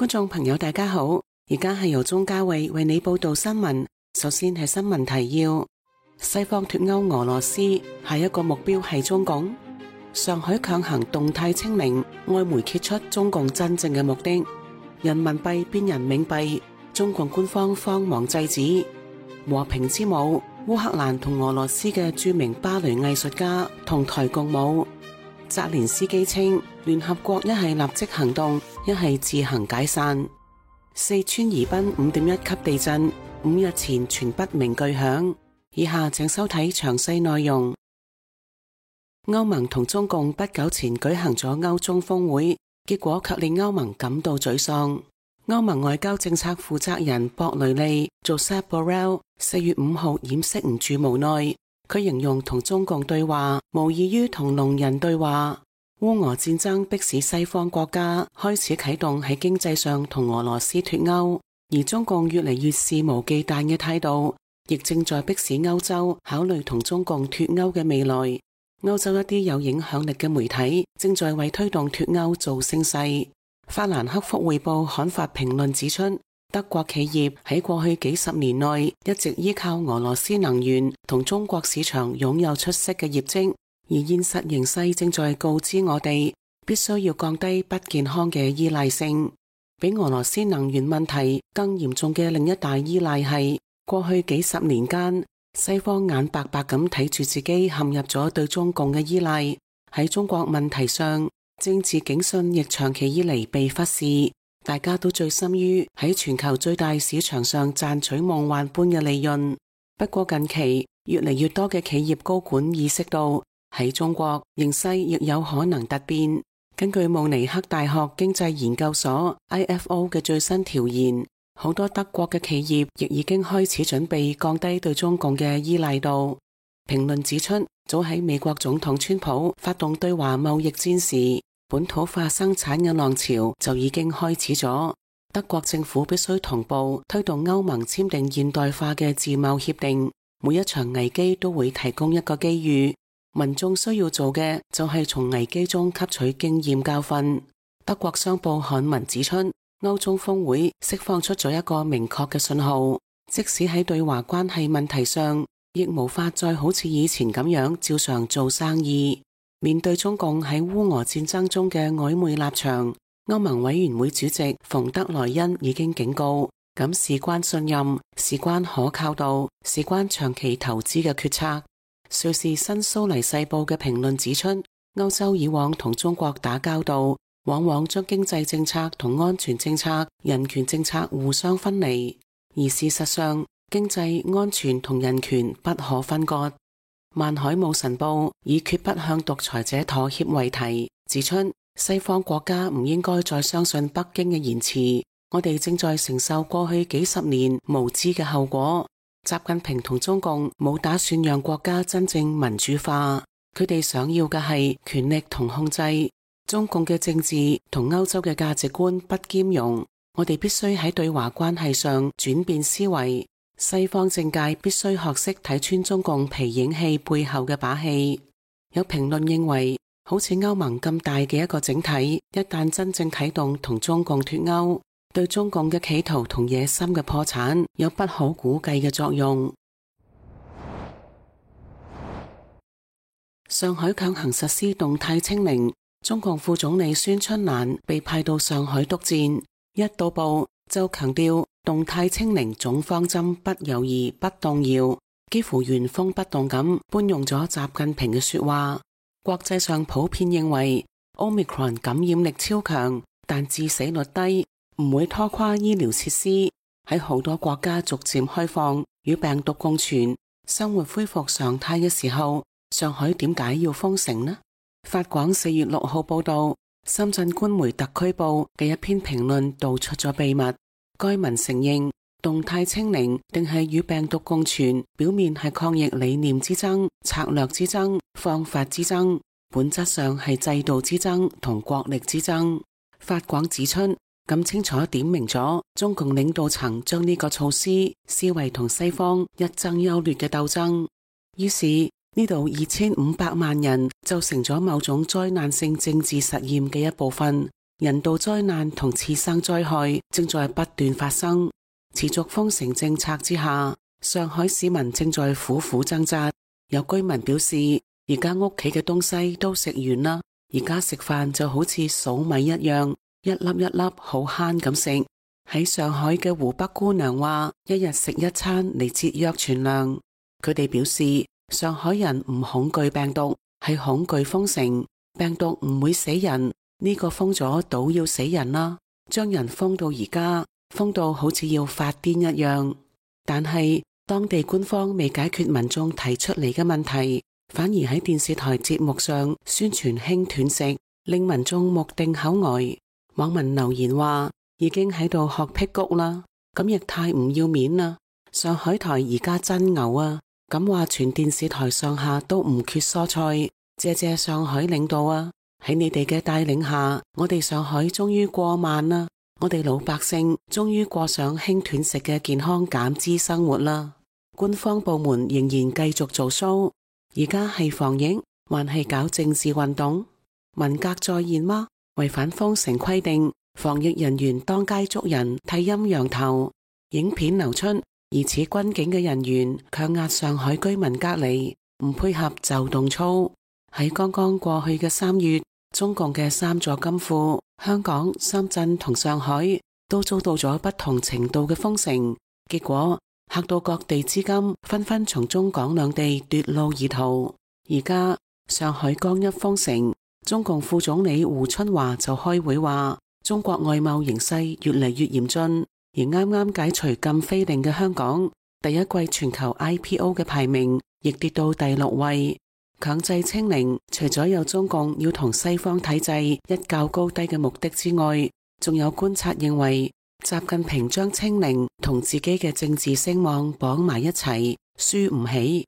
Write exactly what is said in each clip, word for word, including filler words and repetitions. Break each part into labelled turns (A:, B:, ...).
A: 觀眾朋友大家好，而家係由鍾嘉慧為你報道新聞。首先係新聞提要：西方脫歐俄羅斯，下一個目標係中共。上海強行動態清零，外媒揭出中共真正嘅目的。人民幣變人民幣，中共官方慌忙制止。和平之舞，烏克蘭同俄羅斯嘅著名芭蕾藝術家同台共舞。澤連斯基稱，聯合國一係立即行動，一係自行解散。四川宜賓五點一級地震，五日前傳不明巨響。以下請收睇詳細內容。歐盟同中共不久前舉行咗歐中峰會，結果卻令歐盟感到沮喪。歐盟外交政策負責人博雷利 Josep Borrell 四月五號掩飾唔住無奈。佢形容同中共對話無異於同聾人對話。烏俄戰爭迫使西方國家開始啟動喺經濟上同俄羅斯脫歐，而中共越嚟越肆無忌憚嘅態度，亦正在迫使歐洲考慮同中共脫歐嘅未來。歐洲一啲有影響力嘅媒體正在為推動脫歐做聲勢。法蘭克福匯報刊發評論指出，德國企業喺過去幾十年內一直依靠俄羅斯能源同中國市場擁有出色嘅業績，而現實形勢正在告知我哋，必須要降低不健康嘅依賴性。比俄羅斯能源問題更嚴重嘅另一大依賴係，過去幾十年間，西方眼白白咁睇住自己陷入咗對中共嘅依賴。喺中國問題上，政治警訊亦長期以嚟被忽視。大家都醉心於喺全球最大市場上賺取夢幻般嘅利潤。不過近期越嚟越多嘅企業高管意識到，喺中國形勢亦有可能突變。根據慕尼黑大學經濟研究所 I F O 嘅最新調研，好多德國嘅企業亦已經開始準備降低對中共嘅依賴度。評論指出，早喺美國總統川普發動對華貿易戰時，本土化生產嘅浪潮就已經開始咗。德國政府必須同步推動歐盟簽訂現代化嘅自貿協定。每一場危機都會提供一個機遇，民眾需要做嘅就係從危機中吸取經驗教訓。德國商報刊文指出，歐中峰會釋放出咗一個明確嘅信號，即使喺對華關係問題上，亦無法再好似以前咁樣照常做生意。面對中共喺烏俄戰爭中嘅曖昧立場，歐盟委員會主席馮德萊恩已經警告，咁事關信任，事關可靠度，事關長期投資嘅決策。瑞士新蘇黎世報嘅評論指出，歐洲以往同中國打交道，往往將經濟政策同安全政策、人權政策互相分離，而事實上，經濟、安全同人權不可分割。萬海姆晨報以決不向獨裁者妥協為題，指出西方國家唔應該再相信北京嘅言辭，我哋正在承受過去幾十年無知嘅後果。習近平同中共冇打算讓國家真正民主化，佢哋想要嘅係權力同控制。中共嘅政治同歐洲嘅價值觀不兼容，我哋必須喺對華關係上轉變思維。西方政界必須學識睇穿中共皮影戲背後嘅把戲。有評論認為，好似歐盟咁大嘅一個整體，一旦真正啟動同中共脫歐，對中共嘅企圖同野心嘅破產有不可估計嘅作用。上海強行實施動態清零，中共副總理孫春蘭被派到上海督戰，一到埗就強調動態清零總方針不猶豫不動搖，幾乎原封不動咁搬用咗習近平嘅說話。國際上普遍認為 Omicron 感染力超強，但致死率低，唔會拖垮醫療設施。喺好多國家逐漸開放與病毒共存，生活恢復常態嘅時候，上海點解要封城呢？法廣四月六號報道，深圳官媒特區報嘅一篇評論道出咗秘密。該文承認，動態清零定係與病毒共存，表面係抗疫理念之爭、策略之爭、方法之爭，本質上係制度之爭同國力之爭。法廣指出，咁清楚點明咗中共領導層將呢個措施視為同西方一爭優劣嘅鬥爭。於是呢度二千五百萬人就成咗某種災難性政治實驗嘅一部分，人道災難同次生災害正在不斷發生。持續封城政策之下，上海市民正在苦苦掙扎。有居民表示，而家屋企嘅東西都食完啦，而家食飯就好似數米一樣，一粒一粒好慳咁食。喺上海嘅湖北姑娘話，一日食一餐嚟節約存糧。佢哋表示，上海人唔恐懼病毒，係恐懼封城。病毒唔會死人，呢個封咗倒要死人啦，將人封到而家，封到好似要發癲一樣。但係當地官方未解決民眾提出嚟嘅問題，反而喺電視台節目上宣傳輕斷食，令民眾目定口呆。網民留言話，已經喺度學辟谷啦，咁亦太唔要面啦！上海台而家真牛啊，咁話全電視台上下都唔缺蔬菜，謝謝上海領導啊！喺你哋嘅帶領下，我哋上海終於過萬啦，我哋老百姓終於過上輕斷食嘅健康減脂生活啦！官方部門仍然繼續做 show，而家係防疫還係搞政治運動？文革再現嗎？違反封城規定，防疫人員當街捉人剃陰陽頭，影片流出，疑似軍警嘅人員強壓上海居民隔離，唔配合就動粗。喺剛剛過去嘅三月，中共嘅三座金庫香港、深圳同上海都遭到咗不同程度嘅封城，結果嚇到各地資金紛紛從中港兩地奪路而逃。而家上海剛一封城，中共副總理胡春華就開會話，中國外貿形勢越嚟越嚴峻，而啱啱解除禁飛令嘅香港，第一季全球 I P O 嘅排名亦跌到第六位。強制清零除咗有中共要同西方體制一較高低嘅目的之外，仲有觀察認為習近平將清零同自己嘅政治聲望綁埋一齊，輸唔起。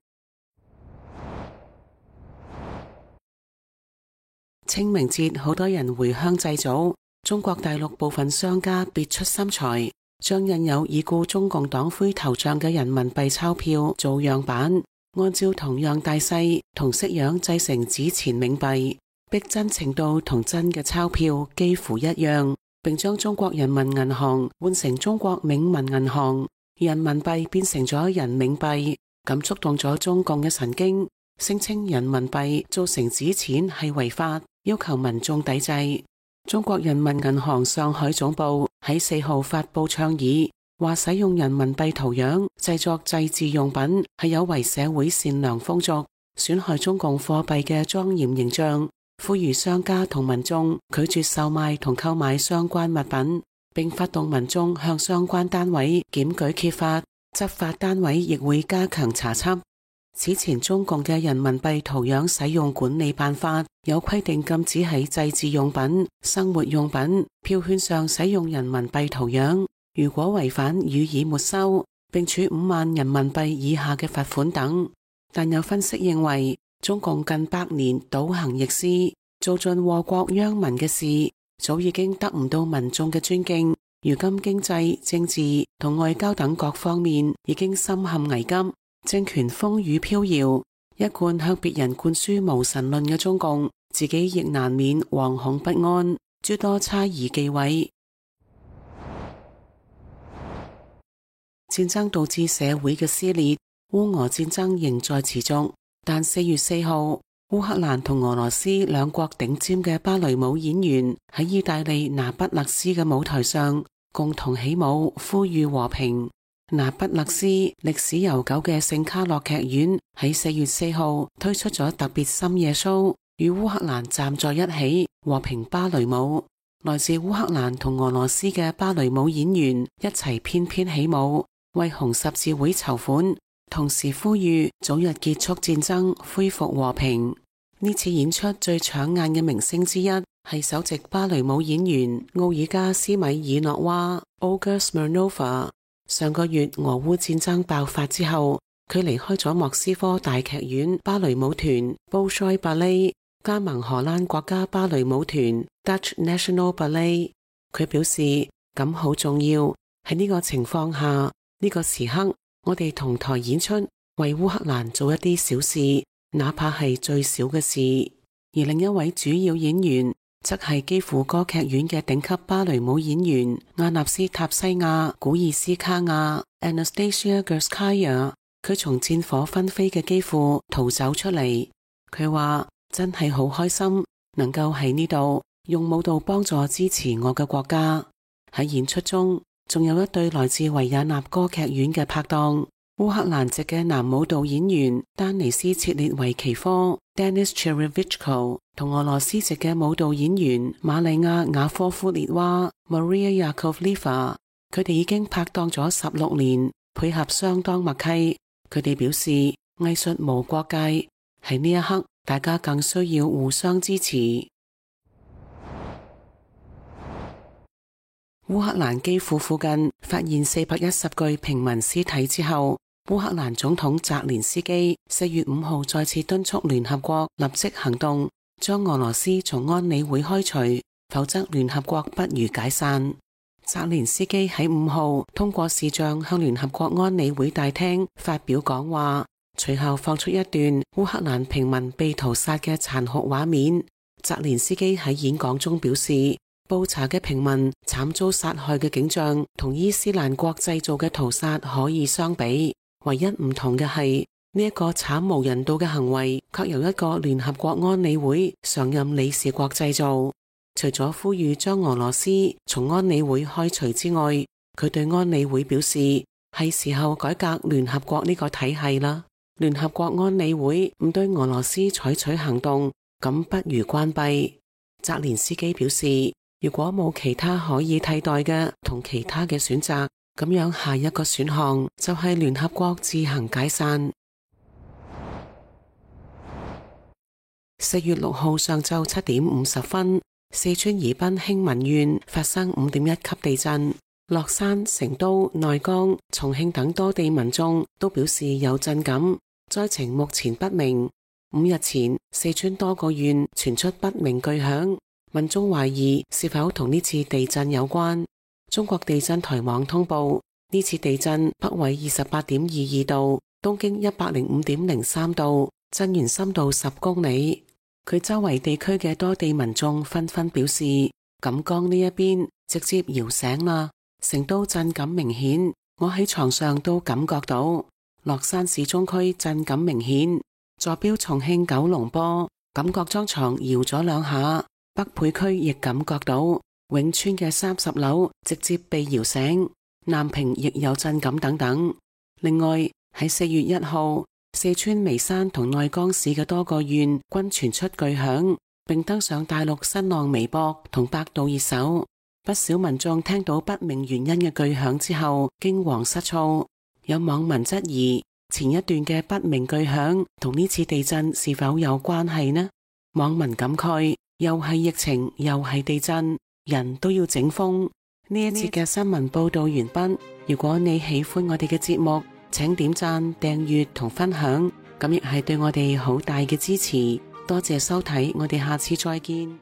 A: 清明節好多人回鄉祭祖，中國大陸部分商家別出心裁，將印有已故中共黨魁頭像嘅人民幣鈔票做樣板，按照同樣大細同式樣製成紙錢冥幣，逼真程度同真嘅鈔票幾乎一樣，並將中國人民銀行換成中國冥民銀行，人民幣變成咗人冥幣，咁觸動咗中共嘅神經，聲稱人民幣做成紙錢係違法，要求民眾抵制。中國人民銀行上海總部喺四號發佈倡議，話使用人民幣圖樣製作祭祀用品係有違社會善良風俗，損害中共貨幣嘅莊嚴形象，呼籲商家同民眾拒絕售賣同購買相關物品，並發動民眾向相關單位檢舉揭發，執法單位亦會加強查緝。此前中共嘅人民幣圖樣使用管理辦法有規定，禁止喺祭祀用品、生活用品、票券上使用人民幣圖樣，如果違反予以沒收，並處五萬人民幣以下嘅罰款等。但有分析認為，中共近百年倒行逆施，做盡禍國殃民嘅事，早已經得唔到民眾嘅尊敬。如今經濟、政治同外交等各方面已經深陷危急，政權風雨飄搖，一貫向別人灌輸無神論嘅中共，自己亦難免惶恐不安，諸多猜疑忌諱。戰爭導致社會嘅撕裂，烏俄戰爭仍在持續。但四月四號，烏克蘭同俄羅斯兩國頂尖嘅芭蕾舞演員喺意大利那不勒斯嘅舞台上共同起舞，呼籲和平。那不勒斯歷史悠久嘅聖卡洛劇院喺四月四號推出咗特別深夜 show，與烏克蘭站在一起和平芭蕾舞。來自烏克蘭同俄羅斯嘅芭蕾舞演員一齊翩翩起舞，為紅十字會籌款，同時呼籲早日結束戰爭，恢復和平。呢次演出最搶眼嘅明星之一係首席芭蕾舞演員奧爾加斯米爾諾娃 Olga Smirnova。上個月俄烏戰爭爆發之後，佢離開咗莫斯科大劇院芭蕾舞團 Bolshoi Ballet， 加盟荷蘭國家芭蕾舞團 Dutch National Ballet。 佢表示咁好重要，喺呢個情況下，呢、這個時刻我哋同台演出，為烏克蘭做一啲小事，哪怕係最小嘅事。而另一位主要演員則係基輔歌劇院嘅頂級芭蕾舞演員亞納斯塔西亞古爾斯卡亞 Anastasia Gurskaya， 佢從戰火紛飛嘅基輔逃走出嚟。佢話真係好開心能夠喺呢度用舞蹈幫助支持我嘅國家。喺演出中仲有一對來自維也納歌劇院嘅拍檔，烏克蘭籍嘅男舞蹈演員丹尼斯切列維奇科 Denis Cherevichko 同俄羅斯籍嘅舞蹈演員瑪麗亞雅科夫列娃 Maria Yakovleva， 佢哋已經拍檔咗十六年，配合相當默契。佢哋表示藝術無國界，喺呢一刻大家更需要互相支持。烏克蘭基輔附近發現四百一十具平民屍體之後，烏克蘭總統澤連斯基四月五號再次敦促聯合國立即行動，將俄羅斯從安理會開除，否則聯合國不如解散。澤連斯基喺五號通過視像向聯合國安理會大廳發表講話，隨後放出一段烏克蘭平民被屠殺嘅殘酷畫面。澤連斯基喺演講中表示，布查嘅平民慘遭殺害嘅景象同伊斯蘭國製造嘅屠殺可以相比，唯一唔同嘅係呢一個慘無人道嘅行為卻由一個聯合國安理會常任理事國製造。除咗呼籲將俄羅斯從安理會開除之外，佢對安理會表示係時候改革聯合國呢個體系啦。聯合國安理會唔對俄羅斯採取行動，咁不如關閉。澤連斯基表示，如果冇其他可以替代嘅同其他嘅選擇，咁樣下一個選項就係聯合國自行解散。四月六號上晝七點五十分，四川宜賓興民縣發生五點一級地震，樂山、成都、內江、重慶等多地民眾都表示有震感，災情目前不明。五日前，四川多個縣傳出不明巨響，民眾懷疑是否同呢次地震有關。中國地震台網通報，呢次地震北緯二十八點二二度，東經一百零五點零三度，震源深度十公里。佢周圍地區嘅多地民眾紛紛表示，錦江呢一邊直接搖醒啦，成都震感明顯，我喺床上都感覺到。樂山市中區震感明顯，坐標重慶九龍坡，感覺張床搖咗兩下。北碚區亦感覺到，永川嘅三十樓直接被搖醒，南平亦有震感等等。另外喺四月一號，四川眉山同內江市嘅多個縣均傳出巨響，並登上大陸新浪微博同百度熱搜。不少民眾聽到不明原因嘅巨響之後驚惶失措，有網民質疑前一段嘅不明巨響同呢次地震是否有關係呢？網民感慨，又係疫情又係地震，人都要整風。呢一節嘅新聞報道完畢。如果你喜歡我哋嘅節目，請點讚、訂閱同分享，咁亦係對我哋好大嘅支持。多謝收睇，我哋下次再見。